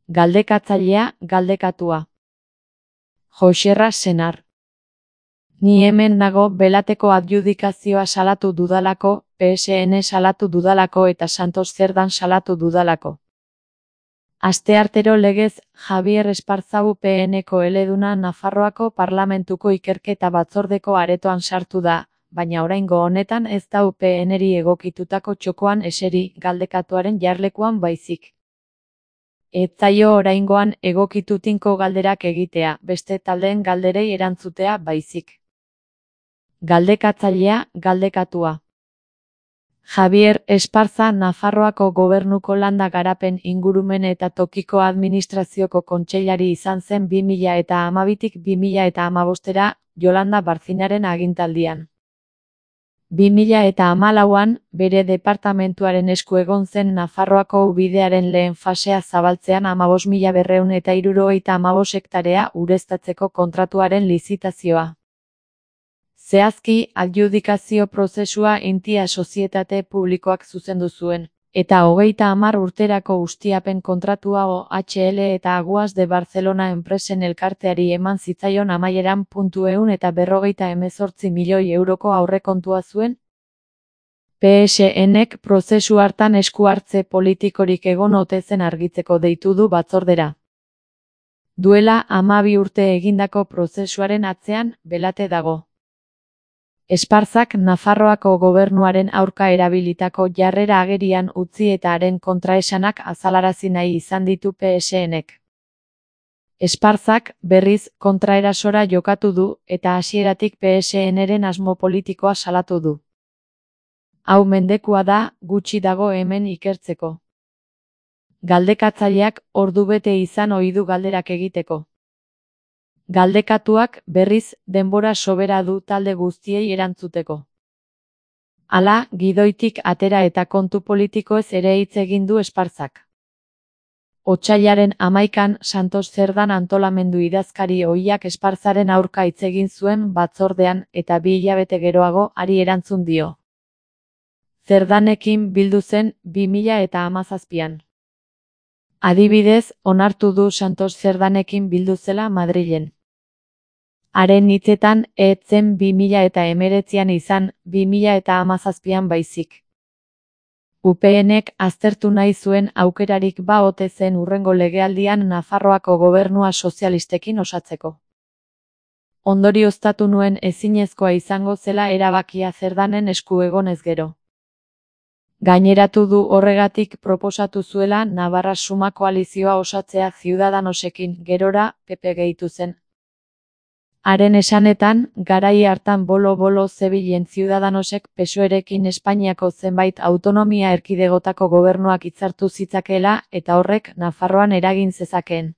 Galdekatzailea, galdekatua. Joxerra senar. Ni hemen nago Belateko adjudikazioa salatu dudalako, PSN salatu dudalako eta Santos Zerdan salatu dudalako. Asteartero legez, Javier Esparzau PNko eleduna Nafarroako Parlamentuko ikerketa batzordeko aretoan sartu da, baina oraingo honetan ez da PNri egokitutako txokoan eseri, galdekatuaren jarlekuan baizik. Ez zaio oraingoan egokitu tinko galderak egitea, beste taldeen galderei erantzutea baizik. Galdekatzailea, galdekatua. Javier Esparza Nafarroako Gobernuko Landa Garapen Ingurumen eta Tokiko Administrazioko kontseilari izan zen 2012tik 2015era Yolanda Barcinaren agintaldian. 2014an, bere departamentuaren esku egon zen Nafarroako ubidearen lehen fasea zabaltzean 15.275 hektarea ureztatzeko kontratuaren lizitazioa. Zehazki, adjudikazio prozesua Intia sozietate publikoak zuzendu zuen, eta 30 urterako ustiapen kontratua OHL eta Aguas de Barcelona enpresen elkarteari eman zitzaion amaieran €148 milioi aurrekontua zuen. PSNek prozesu hartan esku hartze politikorik egon ote zen argitzeko deitu du batzordera. Duela 12 urte egindako prozesuaren atzean, Belate dago. Esparzak Nafarroako gobernuaren aurka erabilitako jarrera agerian utzi eta haren kontraesanak azalarazi nahi izan ditu PSNek. Esparzak, berriz, kontraerasora jokatu du eta hasieratik PSNren asmo politikoa salatu du. Hau mendekua da, gutxi dago hemen ikertzeko. Galdekatzaileak ordubete izan ohi du galderak egiteko. Galdekatuak, berriz, denbora sobera du talde guztiei erantzuteko. Hala, gidoitik atera eta kontu politikoez ere hitz egin du Esparzak. Otsailaren 11an Santos Zerdan antolamendu idazkari ohiak Esparzaren aurka hitz egin zuen batzordean eta 2 hilabete geroago hari erantzun dio. Zerdanekin bildu zen 2017an. Adibidez, onartu du Santos Zerdanekin bildu zela Madrilen. Haren hitzetan, ez zen 2019an izan, 2017an baizik. UPNek aztertu nahi zuen aukerarik ba ote zen hurrengo legealdian Nafarroako gobernua sozialistekin osatzeko. Ondorioztatu nuen ezinezkoa izango zela erabakia Zerdanen esku egonez gero. Gaineratu du horregatik proposatu zuela Navarra Suma koalizioa osatzea Ciudadanosekin, gerora, PP gehitu zen. Haren esanetan, garai hartan bolo-bolo zebilen Ciudadanosek PSOErekin Espainiako zenbait autonomia erkidegotako gobernuak hitzartu zitzakeela eta horrek Nafarroan eragin zezakeen.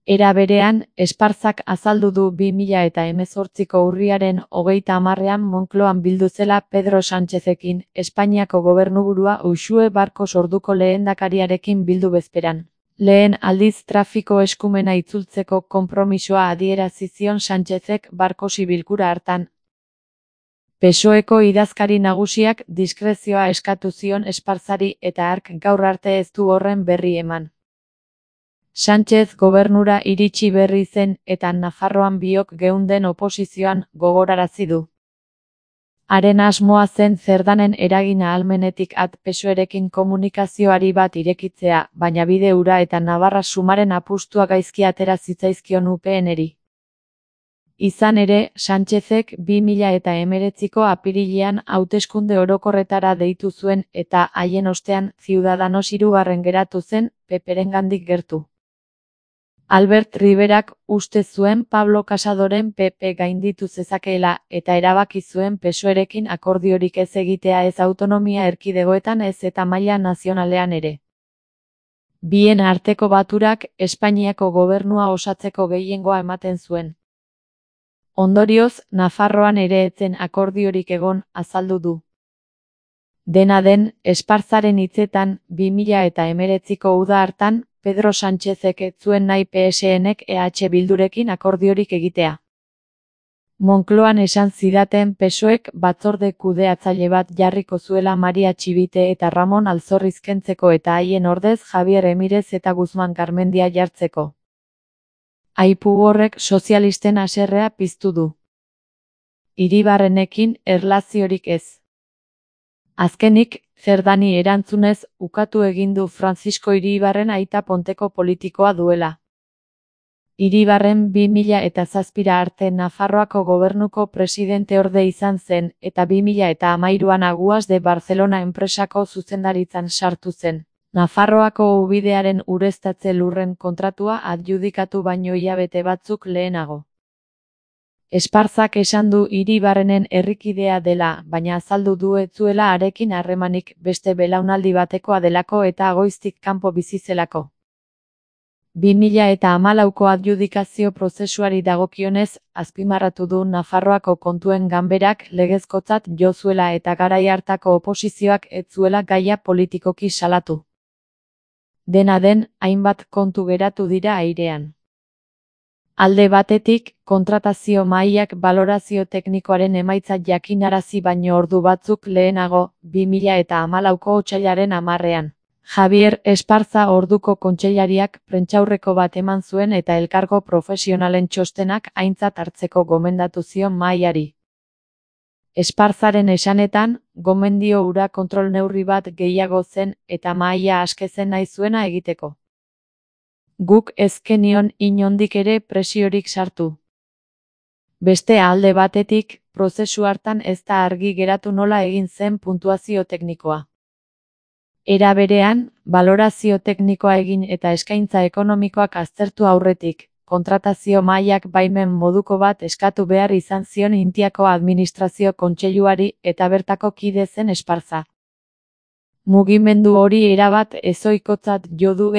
Era berean, Esparzak azaldu du 2018ko urriaren 30ean Moncloan bildu zela Pedro Sánchezekin, Espainiako gobernuburua Uxue Barkos orduko lehendakariarekin bildu bezperan. Lehen aldiz trafiko eskumena itzultzeko konpromisoa adierazi zion Sánchezek Barkosi bilkura hartan. PSOEko idazkari nagusiak diskrezioa eskatu zion Esparzari eta hark gaur arte ez du horren berri eman. Sánchez gobernura iritsi berri zen eta Nafarroan biok geunden oposizioan gogorarazi du. Haren asmoa zen Zerdanen eragin ahalmenetik at PSOErekin komunikazioari bat irekitzea, baina bide hura eta Navarra Sumaren apustua gaizki atera zitzaizkion UPNri. Izan ere, Sánchezek 2019ko apirilean hauteskunde orokorretara deitu zuen eta haien ostean Ciudadanos 3. geratu zen, PPrengandik gertu. Albert Riverak uste zuen Pablo Casadoren PP gainditu zezakeela eta erabaki zuen PSOErekin akordiorik ez egitea ez autonomia erkidegoetan ez eta maila nazionalean ere. Bien arteko baturak Espainiako gobernua osatzeko gehiengoa ematen zuen. Ondorioz, Nafarroan ere ez zen akordiorik egon, azaldu du. Dena den, Esparzaren hitzetan, 2019ko uda hartan, Pedro Sánchezek ez zuen nahi PSNek EH Bildurekin akordiorik egitea. Monkloan esan zidaten PSOEk batzorde kudeatzaile bat jarriko zuela Maria Txibite eta Ramon Alzorriz kentzeko eta haien ordez Javier Emirez eta Guzman Garmendia jartzeko. Aipu horrek sozialisten haserrea piztu du. Iribarrenekin erlaziorik ez. Azkenik, Zerdani erantzunez, ukatu egin du Francisco Iribarren aita Ponteko politikoa duela. Iribarren 2007 arte Nafarroako gobernuko presidenteorde izan zen, eta 2013an Aguas de Barcelona enpresako zuzendaritzan sartu zen. Nafarroako ubidearen ureztatze lurren kontratua adjudikatu baino hilabete batzuk lehenago. Esparzak esan du Iribarrenen herrikidea dela, baina azaldu du ez zuela harekin harremanik, beste belaunaldi batekoa delako eta Goiztik kanpo bizi zelako. 2014ko adjudikazio prozesuari dagokionez, azpimarratu du Nafarroako kontuen ganberak legezkotzat jo zuela eta garai hartako oposizioak ez zuela gaia politikoki salatu. Dena den, hainbat kontu geratu dira airean. Alde batetik, kontratazio mahaiak balorazio teknikoaren emaitza jakinarazi baino ordu batzuk lehenago, 2014ko otsailaren 10ean. Javier Esparza orduko kontseilariak prentsaurreko bat eman zuen eta elkargo profesionalen txostenak aintzat hartzeko gomendatu zion mahaiari. Esparzaren esanetan, gomendio hura kontrol neurri bat gehiago zen eta mahaia aske zen nahi zuena egiteko. Guk ez genion inondik ere presiorik sartu. Beste alde batetik, prozesu hartan ez da argi geratu nola egin zen puntuazio teknikoa. Era berean, balorazio teknikoa egin eta eskaintza ekonomikoak aztertu aurretik, kontratazio mahaiak baimen moduko bat eskatu behar izan zion Intiako administrazio kontseiluari eta bertako kide zen Esparza. Mugimendu hori erabat ezohikotzat jo du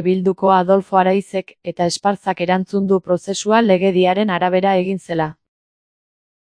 Bilduko Adolfo Araizek eta Esparzak erantzun du prozesua legediaren arabera egin zela.